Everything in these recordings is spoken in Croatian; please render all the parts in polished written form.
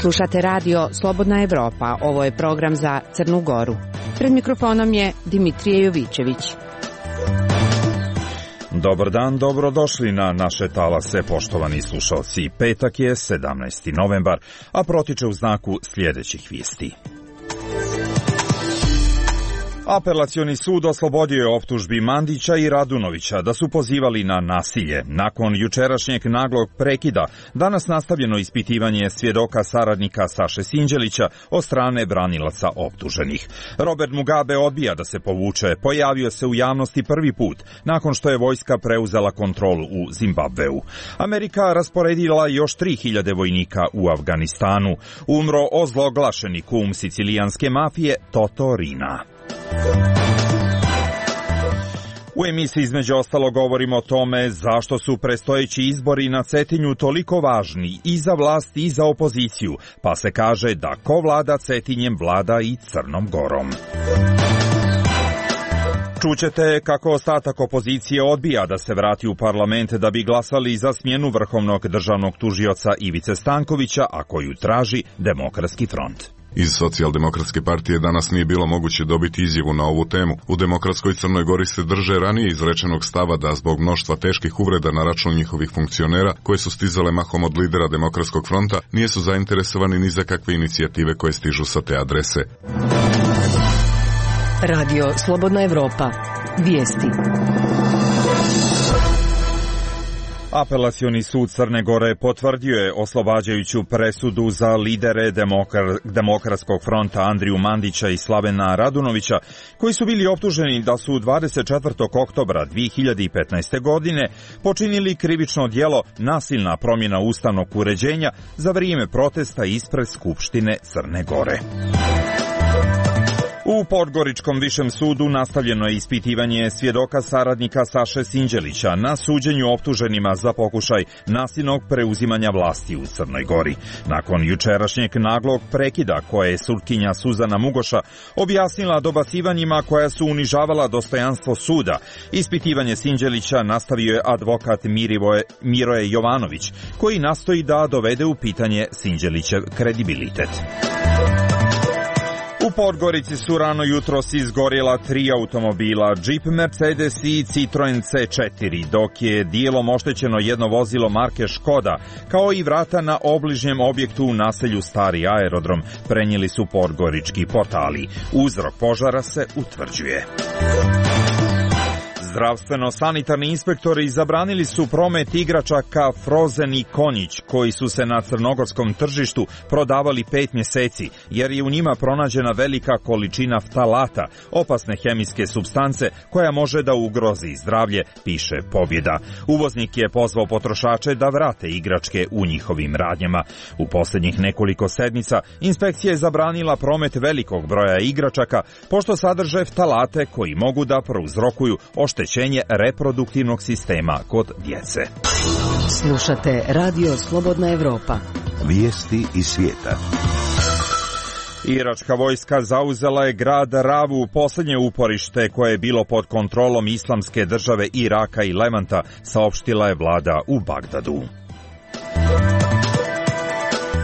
Slušate radio Slobodna Evropa. Ovo je program za Crnu Goru. Pred mikrofonom je Dimitrije Jovićević. Dobar dan, dobrodošli na naše talase, poštovani slušalci. Petak je 17. novembar, a protiče u znaku sljedećih vijesti. Apelacioni sud oslobodio je optužbi Mandića i Radunovića da su pozivali na nasilje. Nakon jučerašnjeg naglog prekida, danas nastavljeno ispitivanje svjedoka saradnika Saše Sinđelića od strane branilaca optuženih. Robert Mugabe odbija da se povuče, pojavio se u javnosti prvi put nakon što je vojska preuzela kontrolu u Zimbabveu. Amerika rasporedila još 3000 vojnika u Afganistanu. Umro ozloglašeni kum sicilijanske mafije Toto Riina. U emisiji između ostalo govorimo o tome zašto su predstojeći izbori na Cetinju toliko važni i za vlast i za opoziciju, pa se kaže da ko vlada Cetinjem vlada i Crnom Gorom. Čućete kako ostatak opozicije odbija da se vrati u parlament da bi glasali za smjenu vrhovnog državnog tužioca Ivice Stankovića, a koju traži Demokratski front. Iz Socijaldemokratske partije danas nije bilo moguće dobiti izjavu na ovu temu. U Demokratskoj Crnoj Gori se drže ranije izrečenog stava da zbog mnoštva teških uvreda na račun njihovih funkcionera, koje su stizale mahom od lidera Demokratskog fronta, nisu zainteresovani ni za kakve inicijative koje stižu sa te adrese. Radio Slobodna Evropa. Vijesti. Apelacioni sud Crne Gore potvrdio je oslobađajuću presudu za lidere Demokratskog fronta Andriju Mandića i Slavena Radunovića, koji su bili optuženi da su 24. oktobra 2015. godine počinili krivično djelo nasilna promjena ustavnog uređenja za vrijeme protesta ispred Skupštine Crne Gore. U Podgoričkom višem sudu nastavljeno je ispitivanje svjedoka saradnika Saše Sinđelića na suđenju optuženima za pokušaj nasilnog preuzimanja vlasti u Crnoj Gori. Nakon jučerašnjeg naglog prekida koje je sudkinja Suzana Mugoša objasnila dobacivanjima koja su unižavala dostojanstvo suda, ispitivanje Sinđelića nastavio je advokat Miroje Jovanović, koji nastoji da dovede u pitanje Sinđelićev kredibilitet. U Podgorici su rano jutros izgorjela 3 automobila, Jeep Mercedes i Citroen C4, dok je dijelom oštećeno jedno vozilo marke Škoda, kao i vrata na obližnjem objektu u naselju Stari aerodrom, prenijeli su podgorički portali. Uzrok požara se utvrđuje. Zdravstveno-sanitarni inspektori zabranili su promet igračaka Frozen i Konjić, koji su se na crnogorskom tržištu prodavali 5 mjeseci, jer je u njima pronađena velika količina ftalata, opasne hemijske supstance koja može da ugrozi zdravlje, piše Pobjeda. Uvoznik je pozvao potrošače da vrate igračke u njihovim radnjama. U posljednjih nekoliko sedmica inspekcija je zabranila promet velikog broja igračaka, pošto sadrže ftalate koji mogu da prouzrokuju oštećenje reproduktivnog sistema kod djece. Slušate Radio Slobodna Evropa. Vijesti iz svijeta. Iračka vojska zauzela je grad Ravu, posljednje uporište koje je bilo pod kontrolom Islamske države Iraka i Levanta, saopštila je vlada u Bagdadu.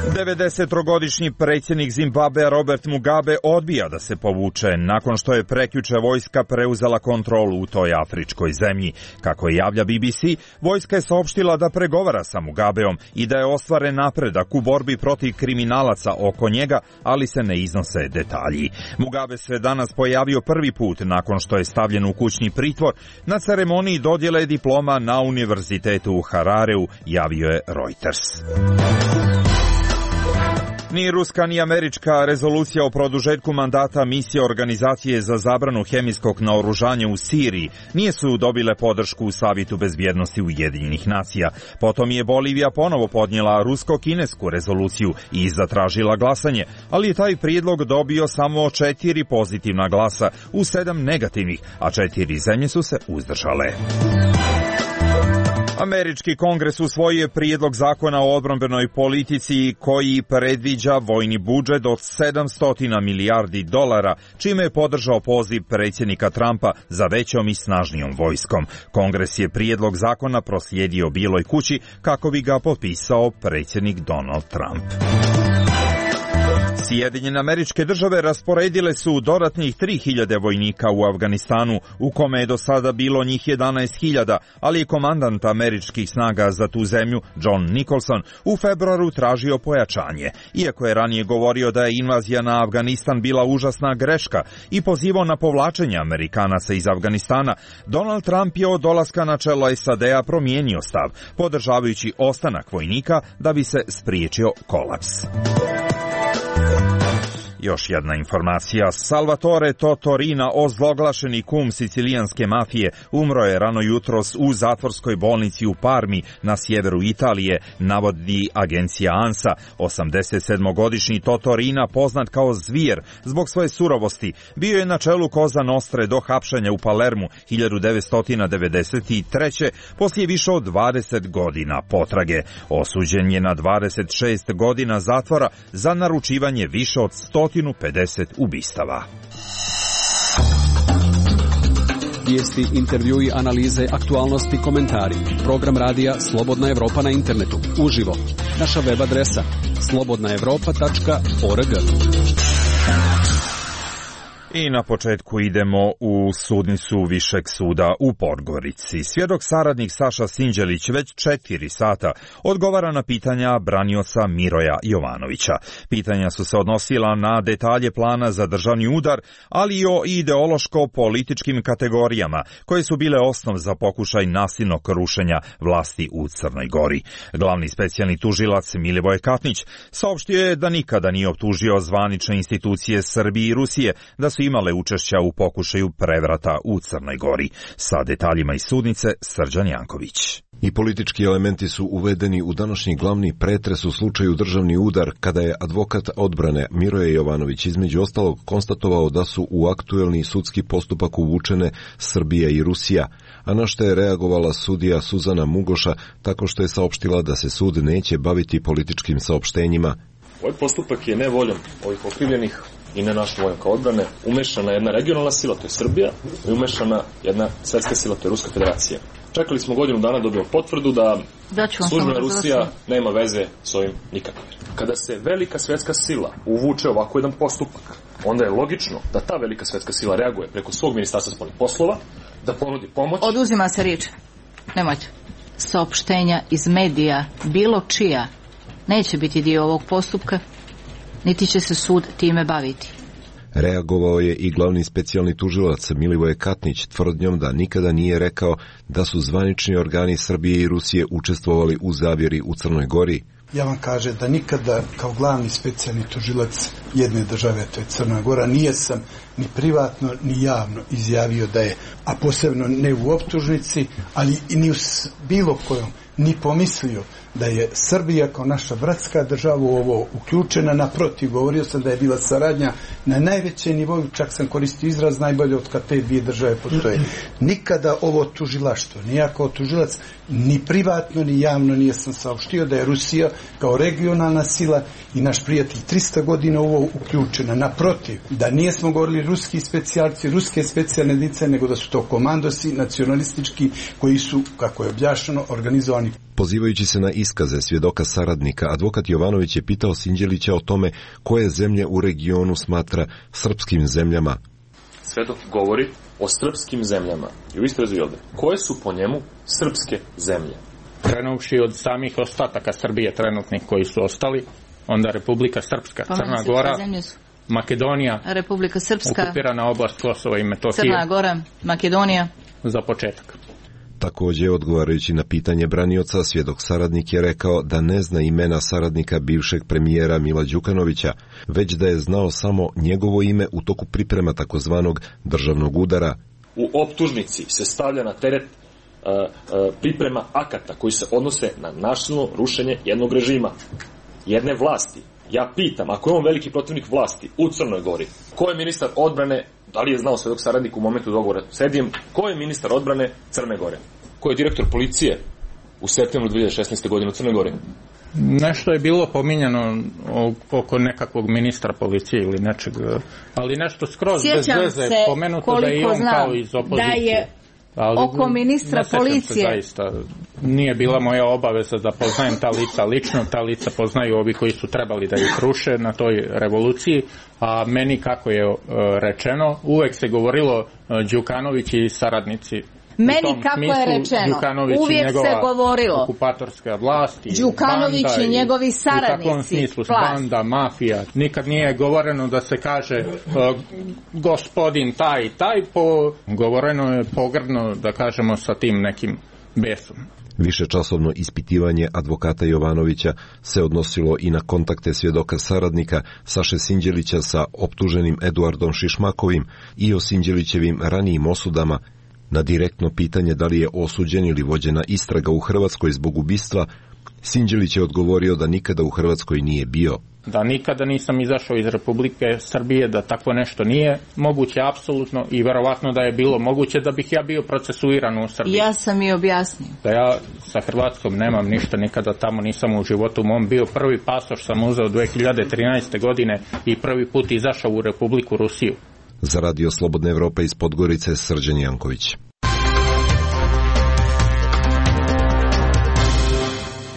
90-godišnji predsjednik Zimbabvea Robert Mugabe odbija da se povuče nakon što je prekjuče vojska preuzela kontrolu u toj afričkoj zemlji. Kako je javlja BBC, vojska je saopštila da pregovara sa Mugabeom i da je ostvaren napredak u borbi protiv kriminalaca oko njega, ali se ne iznose detalji. Mugabe se danas pojavio prvi put nakon što je stavljen u kućni pritvor na ceremoniji dodjele diploma na univerzitetu u Harareu, javio je Reuters. Ni ruska ni američka rezolucija o produžetku mandata misije Organizacije za zabranu hemijskog naoružanja u Siriji nije su dobile podršku u Savjetu bezbjednosti Ujedinjenih nacija. Potom je Bolivija ponovo podnijela rusko-kinesku rezoluciju i zatražila glasanje, ali je taj prijedlog dobio samo 4 pozitivna glasa u 7 negativnih, a 4 zemlje su se uzdržale. Američki kongres usvojio je prijedlog zakona o odbrambenoj politici koji predviđa vojni budžet od $700 milijardi, čime je podržao poziv predsjednika Trumpa za većom i snažnijom vojskom. Kongres je prijedlog zakona proslijedio Bijeloj kući kako bi ga potpisao predsjednik Donald Trump. Sjedinjene Američke Države rasporedile su dodatnih 3.000 vojnika u Afganistanu, u kome je do sada bilo njih 11.000, ali je komandant američkih snaga za tu zemlju, John Nicholson, u februaru tražio pojačanje. Iako je ranije govorio da je invazija na Afganistan bila užasna greška i pozivao na povlačenje Amerikanaca iz Afganistana, Donald Trump je od dolaska na čelo SAD-a promijenio stav, podržavajući ostanak vojnika da bi se spriječio kolaps. Još jedna informacija. Salvatore Totorina, ozloglašeni kum sicilijanske mafije, umro je rano jutros u zatvorskoj bolnici u Parmi na sjeveru Italije, navodi agencija ANSA. 87-godišnji Totorina, poznat kao Zvijer zbog svoje surovosti, bio je na čelu Cosa Nostre do hapšenja u Palermu 1993. poslije više od 20 godina potrage. Osuđen je na 26 godina zatvora za naručivanje više od 150 ubistava. Vijesti, intervjui, analize, aktualnosti, komentari. Program radija Slobodna Evropa na internetu. Uživo. Naša web adresa slobodnaevropa.org. I na početku idemo u sudnicu Višeg suda u Podgorici. Svjedok saradnik Saša Sinđelić već 4 sata odgovara na pitanja branioca Miroja Jovanovića. Pitanja su se odnosila na detalje plana za državni udar, ali i o ideološko-političkim kategorijama, koje su bile osnov za pokušaj nasilnog rušenja vlasti u Crnoj Gori. Glavni specijalni tužilac Milivoje Katnić saopštio je da nikada nije optužio zvanične institucije Srbije i Rusije da su imale učešća u pokušaju prevrata u Crnoj Gori. Sa detaljima iz sudnice Srđan Janković. I politički elementi su uvedeni u današnji glavni pretres u slučaju državni udar, kada je advokat odbrane Miroje Jovanović između ostalog konstatovao da su u aktuelni sudski postupak uvučene Srbija i Rusija, a na što je reagovala sudija Suzana Mugoša tako što je saopštila da se sud neće baviti političkim saopštenjima. Ovaj postupak je nevoljom ovih okrivljenih i na našu vojnka odbrane umešana jedna regionalna sila, to je Srbija, i umešana jedna svetska sila, to je Ruska federacija. Čekali smo godinu dana da dobijemo potvrdu da službena Rusija nema veze s ovim nikakve. Kada se velika svetska sila uvuče ovako jedan postupak, onda je logično da ta velika svetska sila reaguje preko svog ministarstva spoljnih poslova, da ponudi pomoć. Oduzima se riječ. Nemojte. Saopštenja iz medija, bilo čija, neće biti dio ovog postupka, niti će se sud time baviti. Reagovao je i glavni specijalni tužilac Milivoje Katnić tvrdnjom da nikada nije rekao da su zvanični organi Srbije i Rusije učestvovali u zavjeri u Crnoj Gori. Ja vam kažem da nikada kao glavni specijalni tužilac jedne države, to je Crna Gora, nije sam ni privatno ni javno izjavio da je, a posebno ne u optužnici, ali i ni u bilo kojom, ni pomislio da je Srbija kao naša bratska država u ovo uključena. Naprotiv, govorio sam da je bila saradnja na najvećem nivou, čak sam koristio izraz najbolje od kad te dvije države postoje. Nikada ovo tužilaštvo, ni ja kao tužilac, ni privatno ni javno nije sam saopštio da je Rusija kao regionalna sila i naš prijatelj 300 godina u ovo uključena. Naprotiv, da nijesmo govorili ruski specijalci, ruske specijalne jedinice, nego da su to komandosi nacionalistički koji su, kako je objašnjeno, organizovani. Pozivajući se na iskaze svjedoka saradnika, advokat Jovanović je pitao Sinđelića o tome koje zemlje u regionu smatra srpskim zemljama. Svedok govori o srpskim zemljama i u istrazi ovdje. Koje su po njemu srpske zemlje? Krenuvši od samih ostataka Srbije trenutnih koji su ostali, onda Republika Srpska, Crna Gora, Makedonija, Republika Srpska, okupirana oblast Kosova i Metohije, Crna Gora, Makedonija. Za početak. Također, odgovarajući na pitanje branioca, svjedok saradnik je rekao da ne zna imena saradnika bivšeg premijera Mila Đukanovića, već da je znao samo njegovo ime u toku priprema takozvanog državnog udara. U optužnici se stavlja na teret priprema akata koji se odnose na nasilno rušenje jednog režima, jedne vlasti. Ja pitam, ako je on veliki protivnik vlasti u Crnoj Gori, ko je ministar odbrane, da li je znao svjedok saradnik u momentu dogovora s Edijem, ko je ministar odbrane Crne Gore? Ko je direktor policije u septembru 2016. godine u Crnoj Gori? Nešto je bilo pominjano oko nekakvog ministra policije ili nečeg, ali nešto skroz bez veze pomenuto da je on kao iz opozicije. Oko ministra policije. Zaista, nije bila moja obaveza da poznajem ta lica lično, ta lica poznaju ovi koji su trebali da ih ruše na toj revoluciji, a meni, kako je rečeno, uvek se govorilo Đukanović i saradnici. Meni, kako je rečeno, uvijek se govorilo okupatorska vlast i Đukanović banda i njegovi saradnici. U takvom smislu, banda, mafija. Nikad nije govoreno da se kaže gospodin taj i taj, govoreno je pogrdno, da kažemo, sa tim nekim besom. Višečasovno ispitivanje advokata Jovanovića se odnosilo i na kontakte svjedoka saradnika Saše Sinđelića sa optuženim Eduardom Šišmakovim i o Sinđelićevim ranijim osudama. Na direktno pitanje da li je osuđen ili vođena istraga u Hrvatskoj zbog ubistva, Sinđelić je odgovorio da nikada u Hrvatskoj nije bio. Da nikada nisam izašao iz Republike Srbije, da tako nešto nije moguće apsolutno i verovatno da je bilo moguće da bih ja bio procesuiran u Srbiji. Ja sam i objasnio. Da ja sa Hrvatskom nemam ništa, nikada tamo nisam u životu mom bio. Prvi pasoš sam uzeo 2013. godine i prvi put izašao u Republiku Rusiju. Za Radio Slobodna Evropa iz Podgorice, Srđan Janković.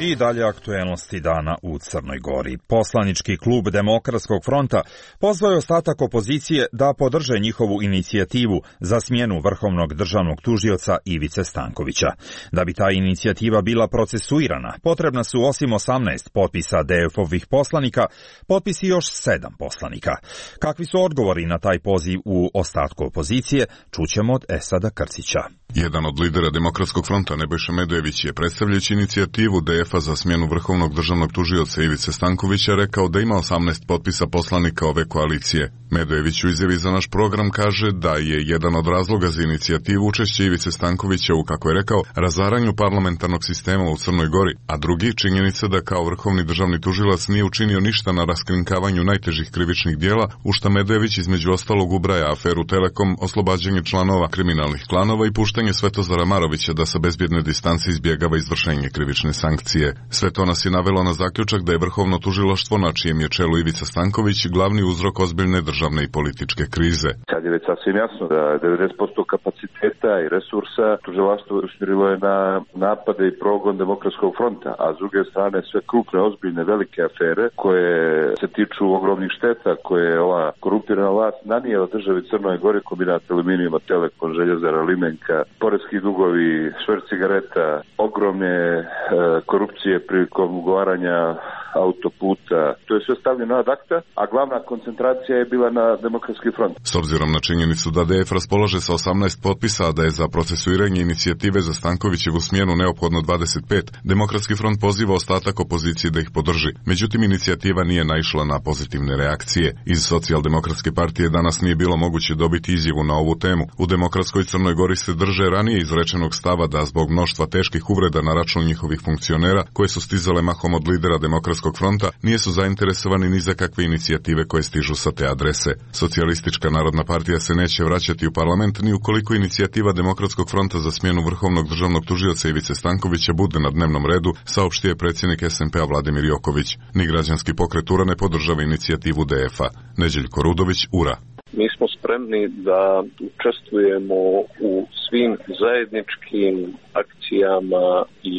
I dalje aktuelnosti dana u Crnoj Gori. Poslanički klub Demokratskog fronta pozvao je ostatak opozicije da podrže njihovu inicijativu za smjenu vrhovnog državnog tužioca Ivice Stankovića. Da bi ta inicijativa bila procesuirana, potrebna su osim 18 potpisa DF-ovih poslanika, potpisi još 7 poslanika. Kakvi su odgovori na taj poziv u ostatku opozicije, čućemo od Esada Krcića. Jedan od lidera Demokratskog fronta, Nebojša Medojević, je predstavljajući inicijativu DF-a za smjenu vrhovnog državnog tužioca Ivice Stankovića rekao da ima 18 potpisa poslanika ove koalicije. Medojević u izjavi za naš program kaže da je jedan od razloga za inicijativu učešće Ivice Stankovića u, kako je rekao, razaranju parlamentarnog sistema u Crnoj Gori, a drugi činjenica da kao vrhovni državni tužilac nije učinio ništa na raskrinkavanju najtežih krivičnih dijela, u šta Medojević između ostalog ubraja aferu Telekom, oslobađanje članova kriminalnih klanova i puštanje Svetozara Marovića da sa bezbjedne distance izbjegava izvršenje krivične sankcije. Sve to nas je navelo na zaključak da je vrhovno tužilaštvo, na čijem je čelu Ivica Stanković, glavni uzrok ozbiljne državne i političke krize. Sad je već sasvim jasno da 90% kapaciteta i resursa tužilaštvo usmjerilo je na napade i progon Demokratskog fronta, a s druge strane sve krupne, ozbiljne, velike afere koje se tiču ogromnih šteta koje je ova korumpirana vlast nanijela državi Crnoj Gori, kombinat aluminijuma, Telekom, Željezara, Limenka, poreski dugovi, šverc cigareta, ogromne korupcije prilikom ugovaranja autoputa. To je sve stavljeno ad acta, a glavna koncentracija je bila na Demokratski front. S obzirom na činjenicu da DF raspolaže sa 18 potpisa, a da je za procesuiranje inicijative za Stankovićevu smjenu neophodno 25, Demokratski front poziva ostatak opozicije da ih podrži. Međutim, inicijativa nije naišla na pozitivne reakcije. Iz Socijaldemokratske partije danas nije bilo moguće dobiti izjavu na ovu temu. U Demokratskoj Crnoj Gori se drže ranije izrečenog stava da zbog mnoštva teških uvreda na račun njihovih funkcionera, koje su stizale mahom od lidera Demokratskog fronta, nije su zainteresovani ni za kakve inicijative koje stižu sa te adrese. Socijalistička narodna partija se neće vraćati u parlament ni ukoliko inicijativa Demokratskog fronta za smjenu vrhovnog državnog tužioca Ivice Stankovića bude na dnevnom redu, saopštio je predsjednik SMP-a Vladimir Joković. Ni građanski pokret URA ne podržava inicijativu DF-a. Neđeljko Rudović, URA. Mi smo spremni da učestvujemo u svim zajedničkim akcijama i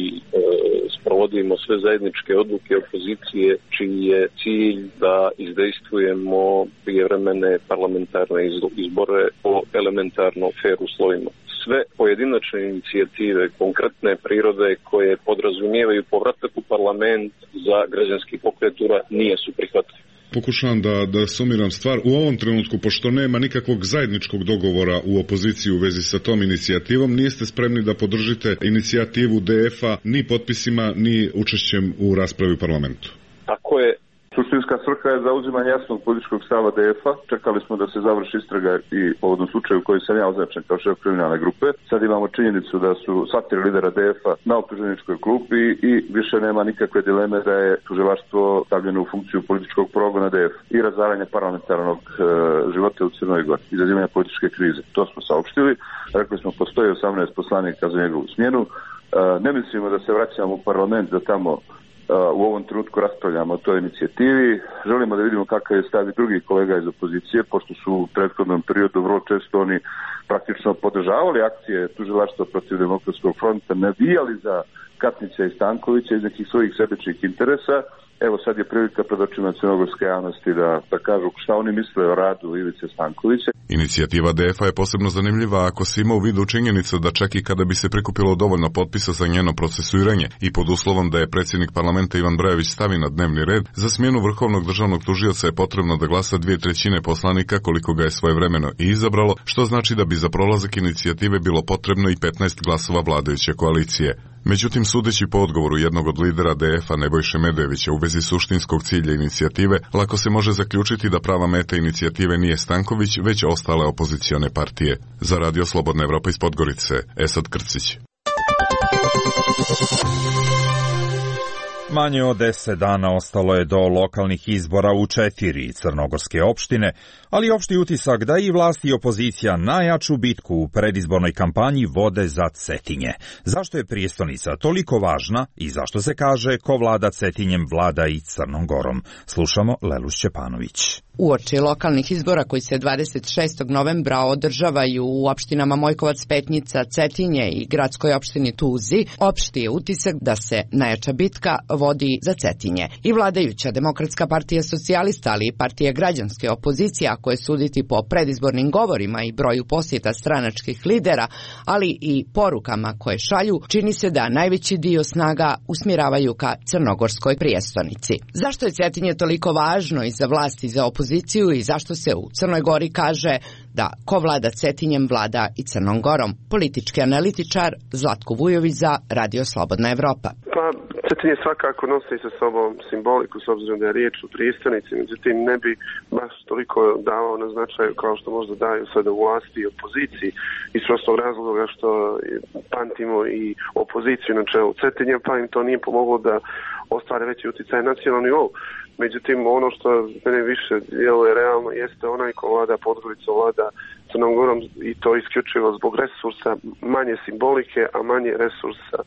sprovodimo sve zajedničke odluke opozicije, čiji je cilj da izdejstvujemo prijevremene parlamentarne izbore po elementarno fer uslovima. Sve pojedinačne inicijative konkretne prirode koje podrazumijevaju povratak u parlament za građanski pokret URA nije su prihvatljive. Pokušavam da sumiram stvar. U ovom trenutku, pošto nema nikakvog zajedničkog dogovora u opoziciji u vezi sa tom inicijativom, niste spremni da podržite inicijativu DF-a ni potpisima, ni učešćem u raspravi u parlamentu. Tako je. Suštinska svrha je zauzimanje jasnog političkog stava DF-a. Čekali smo da se završi istraga i povodom slučaju koji sam ja označen kao šef kriminalne grupe. Sad imamo činjenicu da su sva tri lidera DF-a na optuženičkoj klupi i više nema nikakve dileme da je tužilaštvo stavljeno u funkciju političkog progona DF i razaranja parlamentarnog života u Crnoj Gori, izazivanja političke krize. To smo saopštili. Rekli smo postoji 18 poslanika za njegovu smjenu. Ne mislimo da se vraćamo u parlament da tamo u ovom trenutku raspravljamo o toj inicijativi. Želimo da vidimo kakav je stav i drugih kolega iz opozicije, pošto su u prethodnom periodu vrlo često oni praktično podržavali akcije tužilaštva protiv Demokratskog fronta, navijali za Katnića i Stankovića iz nekih svojih sebičnih interesa. Evo sad je prilika pred očima crnogorske javnosti da kažu šta oni misle o radu Ivice Stankovića. Inicijativa DF-a je posebno zanimljiva ako se ima u vidu činjenicu da čak i kada bi se prikupilo dovoljno potpisa za njeno procesuiranje i pod uslovom da je predsjednik parlamenta Ivan Brajović stavi na dnevni red, za smjenu vrhovnog državnog tužioca je potrebno da glasa 2/3 poslanika koliko ga je svojevremeno i izabralo, što znači da bi za prolazak inicijative bilo potrebno i 15 glasova vladajuće koalicije. Međutim, sudeći po odgovoru jednog od lidera DF-a Nebojše Medojevića u vezi suštinskog cilja inicijative, lako se može zaključiti da prava meta inicijative nije Stanković, već ostale opozicione partije. Za Radio Slobodna Evropa iz Podgorice, Esad Krcić. Manje od 10 dana ostalo je do lokalnih izbora u 4 crnogorske opštine, ali opšti utisak da i vlast i opozicija najjaču bitku u predizbornoj kampanji vode za Cetinje. Zašto je prijestonica toliko važna i zašto se kaže ko vlada Cetinjem vlada i Crnom Gorom? Slušamo Lelu Šćepanović. Uoči lokalnih izbora koji se 26. novembra održavaju u opštinama Mojkovac, Petnica, Cetinje i gradskoj opštini Tuzi, opšti je utisak da se najjača bitka vodi za Cetinje. I vladajuća Demokratska partija socijalista, ali i partija građanske opozicije, ako je suditi po predizbornim govorima i broju posjeta stranačkih lidera, ali i porukama koje šalju, čini se da najveći dio snaga usmjeravaju ka crnogorskoj prijestonici. Zašto je Cetinje toliko važno i za vlast i za opoziciju i zašto se u Crnoj Gori kaže da ko vlada Cetinjem vlada i Crnom Gorom? Politički analitičar Zlatko Vujović za Radio Slobodna Evropa. Pa, Cetinje svakako nosi sa sobom simboliku s obzirom da je riječ o prijestonici, međutim ne bi baš toliko davao na značaju kao što možda daju sada u vlasti i opoziciji iz prostog razloga što pamtimo i opoziciju na čelu Cetinja, pa im to nije pomoglo da ostvare veći utjecaj na nacionalnom nivou. Međutim, ono što mene više djeluje realno jeste onaj ko vlada Podgoricom, vlada Crnom Gorom i to isključivo zbog resursa, manje simbolike, a manje resursa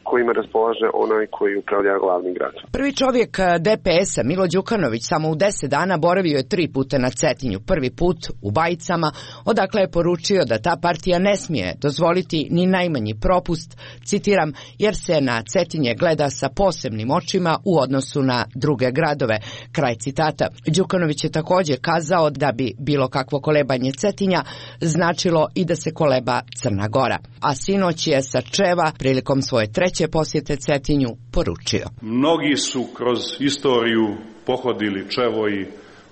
kojima raspolaže onaj koji upravlja glavnim gradom. Prvi čovjek DPS-a, Milo Đukanović, samo u 10 dana boravio je 3 puta na Cetinju. Prvi put u Bajicama, odakle je poručio da ta partija ne smije dozvoliti ni najmanji propust, citiram, jer se na Cetinje gleda sa posebnim očima u odnosu na druge gradove. Kraj citata. Đukanović je također kazao da bi bilo kakvo kolebanje Cetinja značilo i da se koleba Crna Gora. A sinoć je sa Čeva prilikom svoje treće posjete Cetinju poručio. Mnogi su kroz istoriju pohodili Čevo i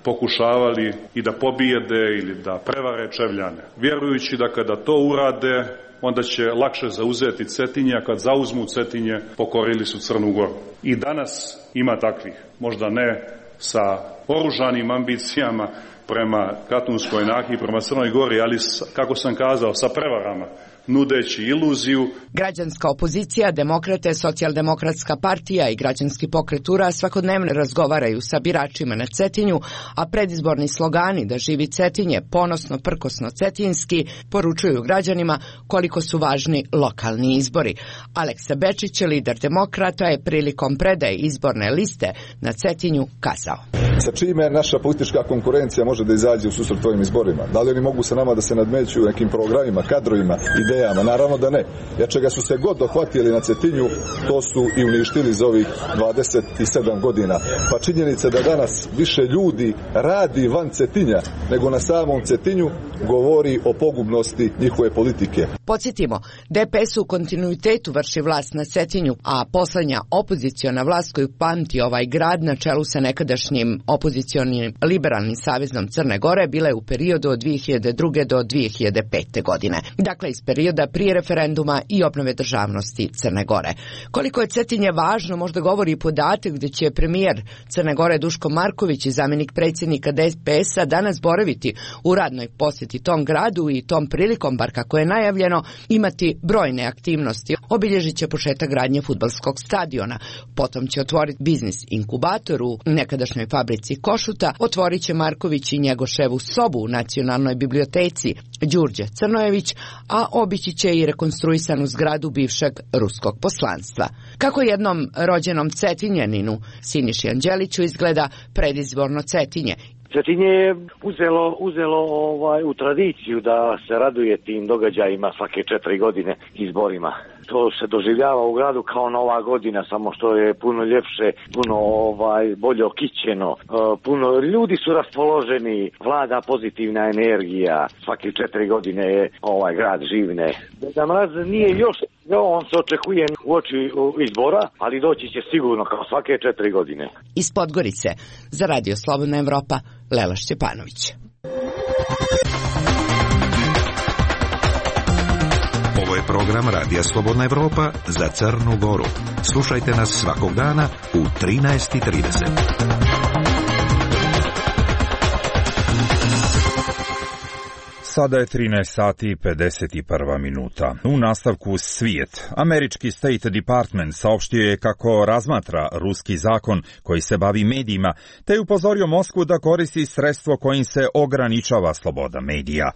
pokušavali i da pobijede ili da prevare Čevljane, vjerujući da kada to urade onda će lakše zauzeti Cetinje, a kad zauzmu Cetinje pokorili su Crnu Goru. I danas ima takvih, možda ne sa oružanim ambicijama prema Katunskoj Nahiji, prema Crnoj Gori, ali kako sam kazao, sa prevarama, nudeći iluziju. Građanska opozicija, demokrate, socijaldemokratska partija i građanski pokret URA svakodnevno razgovaraju sa biračima na Cetinju, a predizborni slogani da živi Cetinje, ponosno, prkosno, cetinski, poručuju građanima koliko su važni lokalni izbori. Aleksa Bečić, lider demokrata, je prilikom predaje izborne liste na Cetinju kazao. Sa čime naša politička konkurencija može da izađe u susret ovim izborima? Da li oni mogu sa nama da se nadmeću nekim programima, kadrovima, idejama? Naravno da ne. Jer čega su se god dohvatili na Cetinju, to su i uništili za ovih 27 godina. Pa činjenica da danas više ljudi radi van Cetinja nego na samom Cetinju govori o pogubnosti njihove politike. Podsjetimo, DPS u kontinuitetu vrši vlast na Cetinju, a posljednja opoziciona vlast koju pamti ovaj grad na čelu sa nekadašnjim opozicionim liberalnim savezom Crne Gore bila je u periodu od 2002. do 2005. godine. Dakle, iz perioda prije referenduma i obnove državnosti Crne Gore. Koliko je Cetinje važno možda govori i podatak gdje će premijer Crne Gore Duško Marković i zamjenik predsjednika DPS-a danas boraviti u radnoj posjeti tom gradu i tom prilikom, bar kako je najavljeno, predviđeno imati brojne aktivnosti. Obilježit će početak gradnje fudbalskog stadiona, potom će otvoriti biznis inkubator u nekadašnjoj fabrici Košuta, otvorit će Marković i Njegoševu sobu u Nacionalnoj biblioteci Đurđe Crnojević, a obići će i rekonstruisanu zgradu bivšeg ruskog poslanstva. Kako jednom rođenom Cetinjaninu Siniši Anđeliću izgleda predizborno Cetinje? Cetinje je uzelo u tradiciju da se raduje tim događajima svake 4 godine izborima. To se doživljava u gradu kao Nova godina, samo što je puno ljepše, puno bolje okićeno, puno ljudi su raspoloženi, vlada pozitivna energija, svake 4 godine je grad živne. Deda Mraz nije još, on se očekuje uoči izbora, ali doći će sigurno kao svake 4 godine. Iz Podgorice za Radio Slobodna Evropa, Lela Šćepanović. Ovo je program Radija Slobodna Evropa za Crnu Goru. Slušajte nas svakog dana u 13:30. Sada je 13 sati i 51 minuta. U nastavku svijet. Američki State Department saopštio je kako razmatra ruski zakon koji se bavi medijima, te je upozorio Moskvu da koristi sredstvo kojim se ograničava sloboda medija.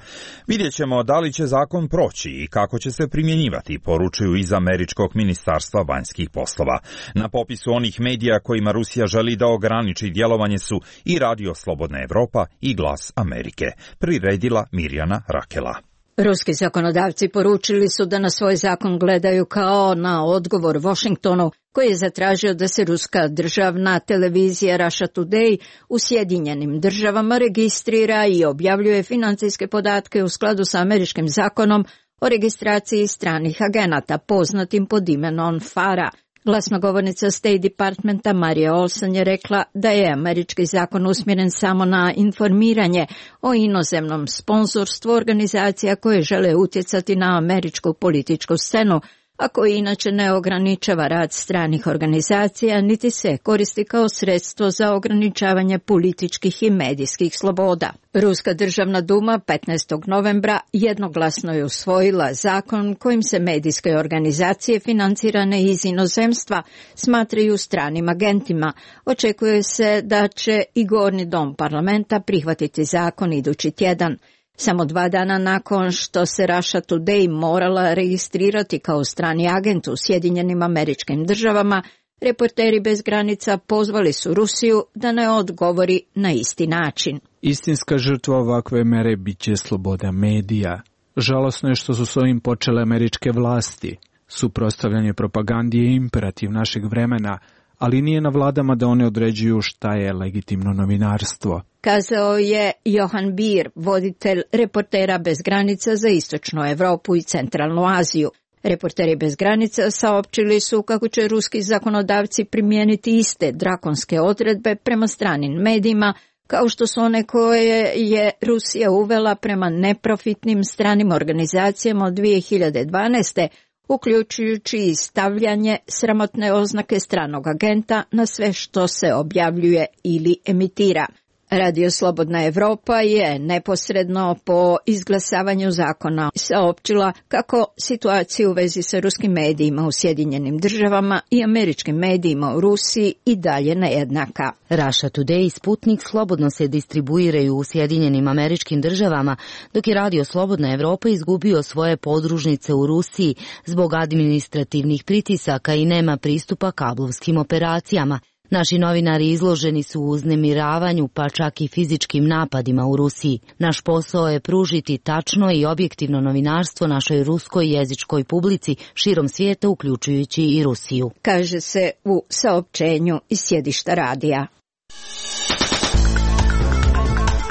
Vidjet ćemo da li će zakon proći i kako će se primjenjivati, poručuju iz Američkog ministarstva vanjskih poslova. Na popisu onih medija kojima Rusija želi da ograniči djelovanje su i Radio Slobodna Evropa i Glas Amerike. Priredila Mirjana Rakela. Ruski zakonodavci poručili su da na svoj zakon gledaju kao na odgovor Washingtonu, koji je zatražio da se ruska državna televizija Russia Today u Sjedinjenim Državama registrira i objavljuje financijske podatke u skladu sa američkim zakonom o registraciji stranih agenata, poznatim pod imenom FARA. Glasnogovornica State Departmenta Marija Olsen je rekla da je američki zakon usmjeren samo na informiranje o inozemnom sponzorstvu organizacija koje žele utjecati na američku političku scenu, a koji inače ne ograničava rad stranih organizacija, niti se koristi kao sredstvo za ograničavanje političkih i medijskih sloboda. Ruska državna duma 15. novembra jednoglasno je usvojila zakon kojim se medijske organizacije financirane iz inozemstva smatraju stranim agentima. Očekuje se da će i Gornji dom parlamenta prihvatiti zakon idući tjedan. Samo 2 dana nakon što se Russia Today morala registrirati kao strani agent u Sjedinjenim Američkim Državama, Reporteri bez granica pozvali su Rusiju da ne odgovori na isti način. Istinska žrtva ovakve mere bit će sloboda medija. Žalosno je što su s ovim počele američke vlasti. Suprotstavljanje propagandi je imperativ našeg vremena, ali nije na vladama da one određuju šta je legitimno novinarstvo. Kazao je Johan Beer, voditelj Reportera bez granica za Istočnu Evropu i Centralnu Aziju. Reporteri bez granica saopćili su kako će ruski zakonodavci primijeniti iste drakonske odredbe prema stranim medijima, kao što su one koje je Rusija uvela prema neprofitnim stranim organizacijama od 2012. uključujući i stavljanje sramotne oznake stranog agenta na sve što se objavljuje ili emitira. Radio Slobodna Evropa je neposredno po izglasavanju zakona saopćila kako situacija u vezi sa ruskim medijima u Sjedinjenim Državama i američkim medijima u Rusiji i dalje nejednaka. Russia Today i Sputnik slobodno se distribuiraju u Sjedinjenim Američkim Državama, dok je Radio Slobodna Evropa izgubio svoje podružnice u Rusiji zbog administrativnih pritisaka i nema pristupa kablovskim operacijama. Naši novinari izloženi su uznemiravanju, pa čak i fizičkim napadima u Rusiji. Naš posao je pružiti tačno i objektivno novinarstvo našoj ruskoj jezičkoj publici širom svijeta, uključujući i Rusiju, kaže se u saopćenju iz sjedišta radija.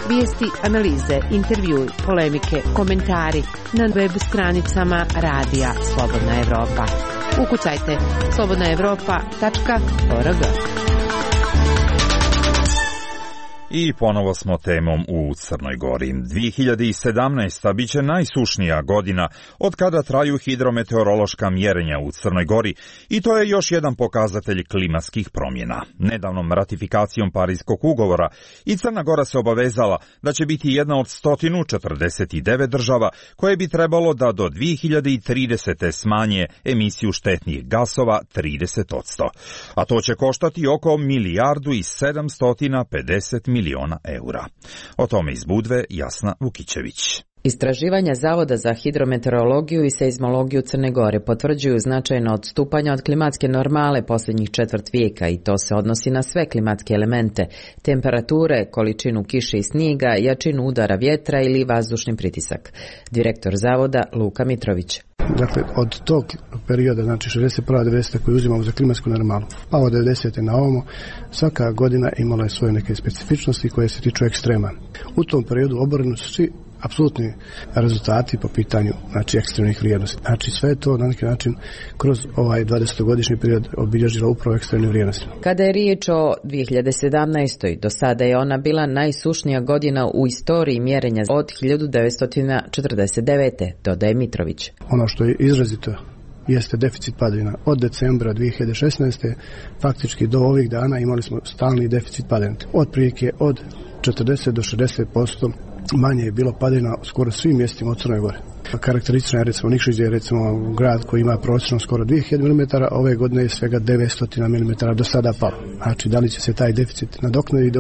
Vijesti, analize, intervjui, polemike, komentari na web stranicama Radija Slobodna Evropa. Ukucajte slobodnaevropa.org. I ponovo smo temom u Crnoj Gori. 2017. biće najsušnija godina od kada traju hidrometeorološka mjerenja u Crnoj Gori i to je još jedan pokazatelj klimatskih promjena. Nedavnom ratifikacijom Parijskog ugovora i Crna Gora se obavezala da će biti jedna od 149 država koje bi trebalo da do 2030. smanje emisiju štetnih gasova 30%. A to će koštati oko 1.750 miliona eura. O tome iz Budve Jasna Vukićević. Istraživanja Zavoda za hidrometeorologiju i seizmologiju Crne Gore potvrđuju značajno odstupanja od klimatske normale posljednjih četvrt vijeka i to se odnosi na sve klimatske elemente, temperature, količinu kiše i snijega, jačinu udara vjetra ili vazdušni pritisak. Direktor Zavoda Luka Mitrović. Dakle, od tog perioda, znači 61. 90. koji uzimamo za klimatsku normalu, pa od 90. na ovamo, svaka godina imala je svoje neke specifičnosti koje se tiču ekstrema. U tom periodu oboreni su svi apsolutni rezultati po pitanju, znači, ekstremnih vrijednosti. Znači, sve je to na neki način kroz ovaj 20-godišnji period obilježilo upravo ekstremne vrijednosti. Kada je riječ o 2017. do sada je ona bila najsušnija godina u istoriji mjerenja od 1949. dodaje Mitrović. Ono što je izrazito jeste deficit padavina. Od decembra 2016. faktički do ovih dana imali smo stalni deficit padavina. Otprilike od 40 do 60% manje je bilo padavina u skoro svim mjestima u Crnoj Gori. Karakteristično je recimo Nikšić je recimo grad koji ima prosječno skoro 2000 mm, ove godine je svega 900 mm do sada palo. Znači da li će se taj deficit nadoknaditi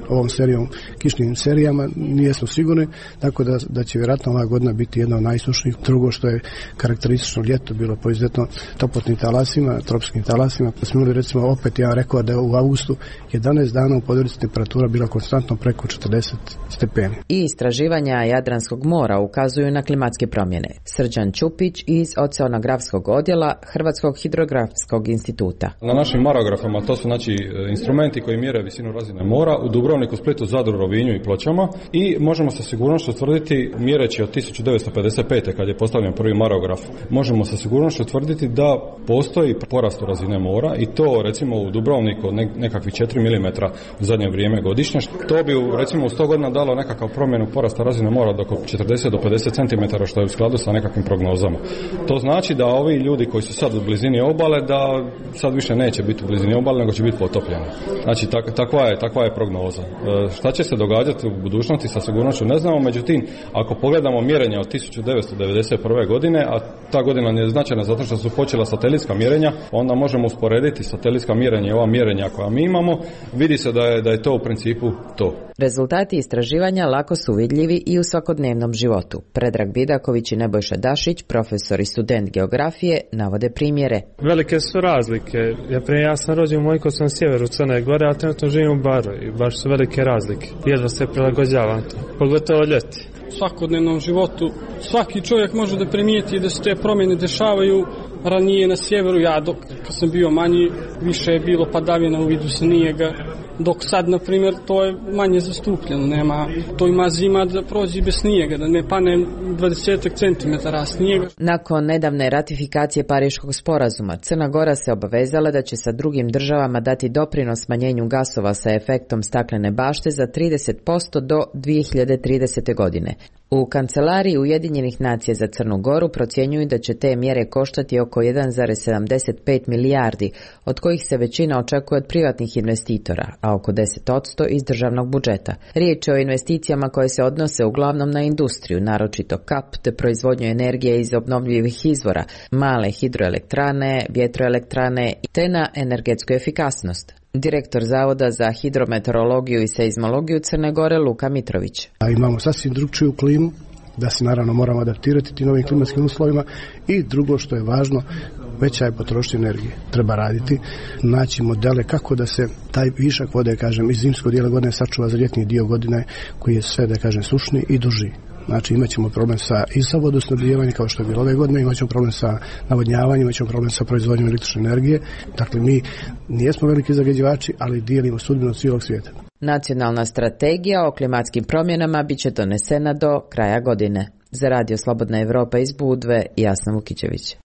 ovom serijom, kišnim serijama, nijesmo sigurni, tako da će vjerojatno ova godina biti jedna od najsušnijih. Drugo što je karakteristično ljeto bilo po izuzetno toplotnim talasima, tropskim talasima, pa smo imali recimo opet jedan rekord da u avgustu 11 dana u Podgorici temperatura bila konstantno preko 40 stepeni. I istraživanja Jadranskog mora ukazuju na klimatske promjene. Srđan Ćupić iz Oceanografskog odjela Hrvatskog hidrografskog instituta. Na našim marografama to su znači instrumenti koji mjere visinu razine mora u Dubrovniku, Splitu, Zadru, Rovinju i Pločama i možemo sa sigurnošću tvrditi, mjereći od 1955. kad je postavljen prvi marograf, možemo sa sigurnošću tvrditi da postoji porast razine mora i to recimo u Dubrovniku nekakvih 4 mm u zadnje vrijeme godišnje. To bi recimo u 100 godina dalo nekakav promjenu porasta razine mora od oko 40 do 50 cm, što je u skladu sa nekakvim prognozama. To znači da ovi ljudi koji su sad u blizini obale, da sad više neće biti u blizini obale, nego će biti potopljeni. Znači, takva je prognoza. Šta će se događati u budućnosti, sa sigurnošću ne znamo, međutim, ako pogledamo mjerenja od 1991. godine, a ta godina je značajna zato što su počela satelitska mjerenja, onda možemo usporediti satelitska mjerenja i ova mjerenja koja mi imamo, vidi se da je to u principu to. Rezultati istraživanja lako su vidljivi i u svakodnevnom životu. Predrag Vidaković i Nebojša Dašić, profesor i student geografije, navode primjere. Velike su razlike. Ja sam rođen u Mojkovcu na sjeveru Crne Gore, a trenutno živim u Baru i baš su velike razlike. Jedva se prilagođavam to, pogotovo ljeti. U svakodnevnom životu svaki čovjek može da primijeti da se te promjene dešavaju. Ranije na sjeveru, kad sam bio manji, više je bilo padavina u vidu snijega, dok sad, na primjer, to je manje zastupljeno. To ima zima da prođe bez snijega, da ne pane 20 cm snijega. Nakon nedavne ratifikacije Pariškog sporazuma, Crna Gora se obavezala da će sa drugim državama dati doprinos smanjenju gasova sa efektom staklene bašte za 30% do 2030. godine. U Kancelariji Ujedinjenih nacija za Crnu Goru procjenjuju da će te mjere koštati oko 1,75 milijardi, od kojih se većina očekuje od privatnih investitora, a oko 10% iz državnog budžeta. Riječ je o investicijama koje se odnose uglavnom na industriju, naročito kap te proizvodnju energije iz obnovljivih izvora, male hidroelektrane, vjetroelektrane te na energetsku efikasnost. Direktor Zavoda za hidrometeorologiju i seizmologiju Crne Gore Luka Mitrović. Imamo sasvim drugčiju klimu, da se naravno moramo adaptirati tim novim klimatskim uslovima i drugo što je važno, veća je potrošnja energije. Treba raditi, naći modele kako da se taj višak vode, iz zimskog dijela godine sačuva za ljetni dio godine koji je sve, sušni i duži. Znači imat ćemo problem sa vodosnabdijevanjem kao što je bilo ove godine, imat ćemo problem sa navodnjavanjem, imat ćemo problem sa proizvodnjom električne energije. Dakle, mi nijesmo veliki zagađivači, ali dijelimo sudbinu cijelog svijeta. Nacionalna strategija o klimatskim promjenama bit će donesena do kraja godine. Za Radio Slobodna Evropa iz Budve, Jasna Vukićević.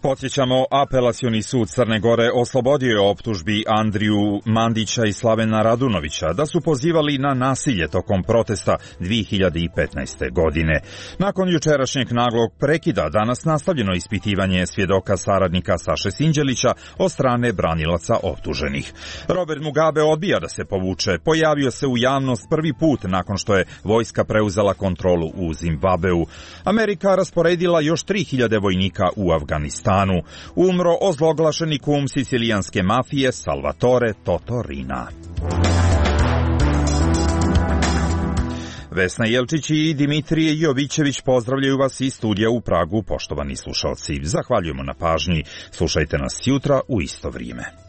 Podsjećamo, apelacioni sud Crne Gore oslobodio je optužbi Andriju Mandića i Slavena Radunovića da su pozivali na nasilje tokom protesta 2015. godine. Nakon jučerašnjeg naglog prekida, danas nastavljeno ispitivanje svjedoka saradnika Saše Sinđelića od strane branilaca optuženih. Robert Mugabe odbija da se povuče. Pojavio se u javnost prvi put nakon što je vojska preuzela kontrolu u Zimbabveu. Amerika rasporedila još 3000 vojnika u Afganistanu. Umro ozloglašeni kum sicilijanske mafije Salvatore Totorina. Vesna Jelčić i Dimitrije Jovićević pozdravljaju vas iz studija u Pragu, poštovani slušalci. Zahvaljujemo na pažnji. Slušajte nas jutra u isto vrijeme.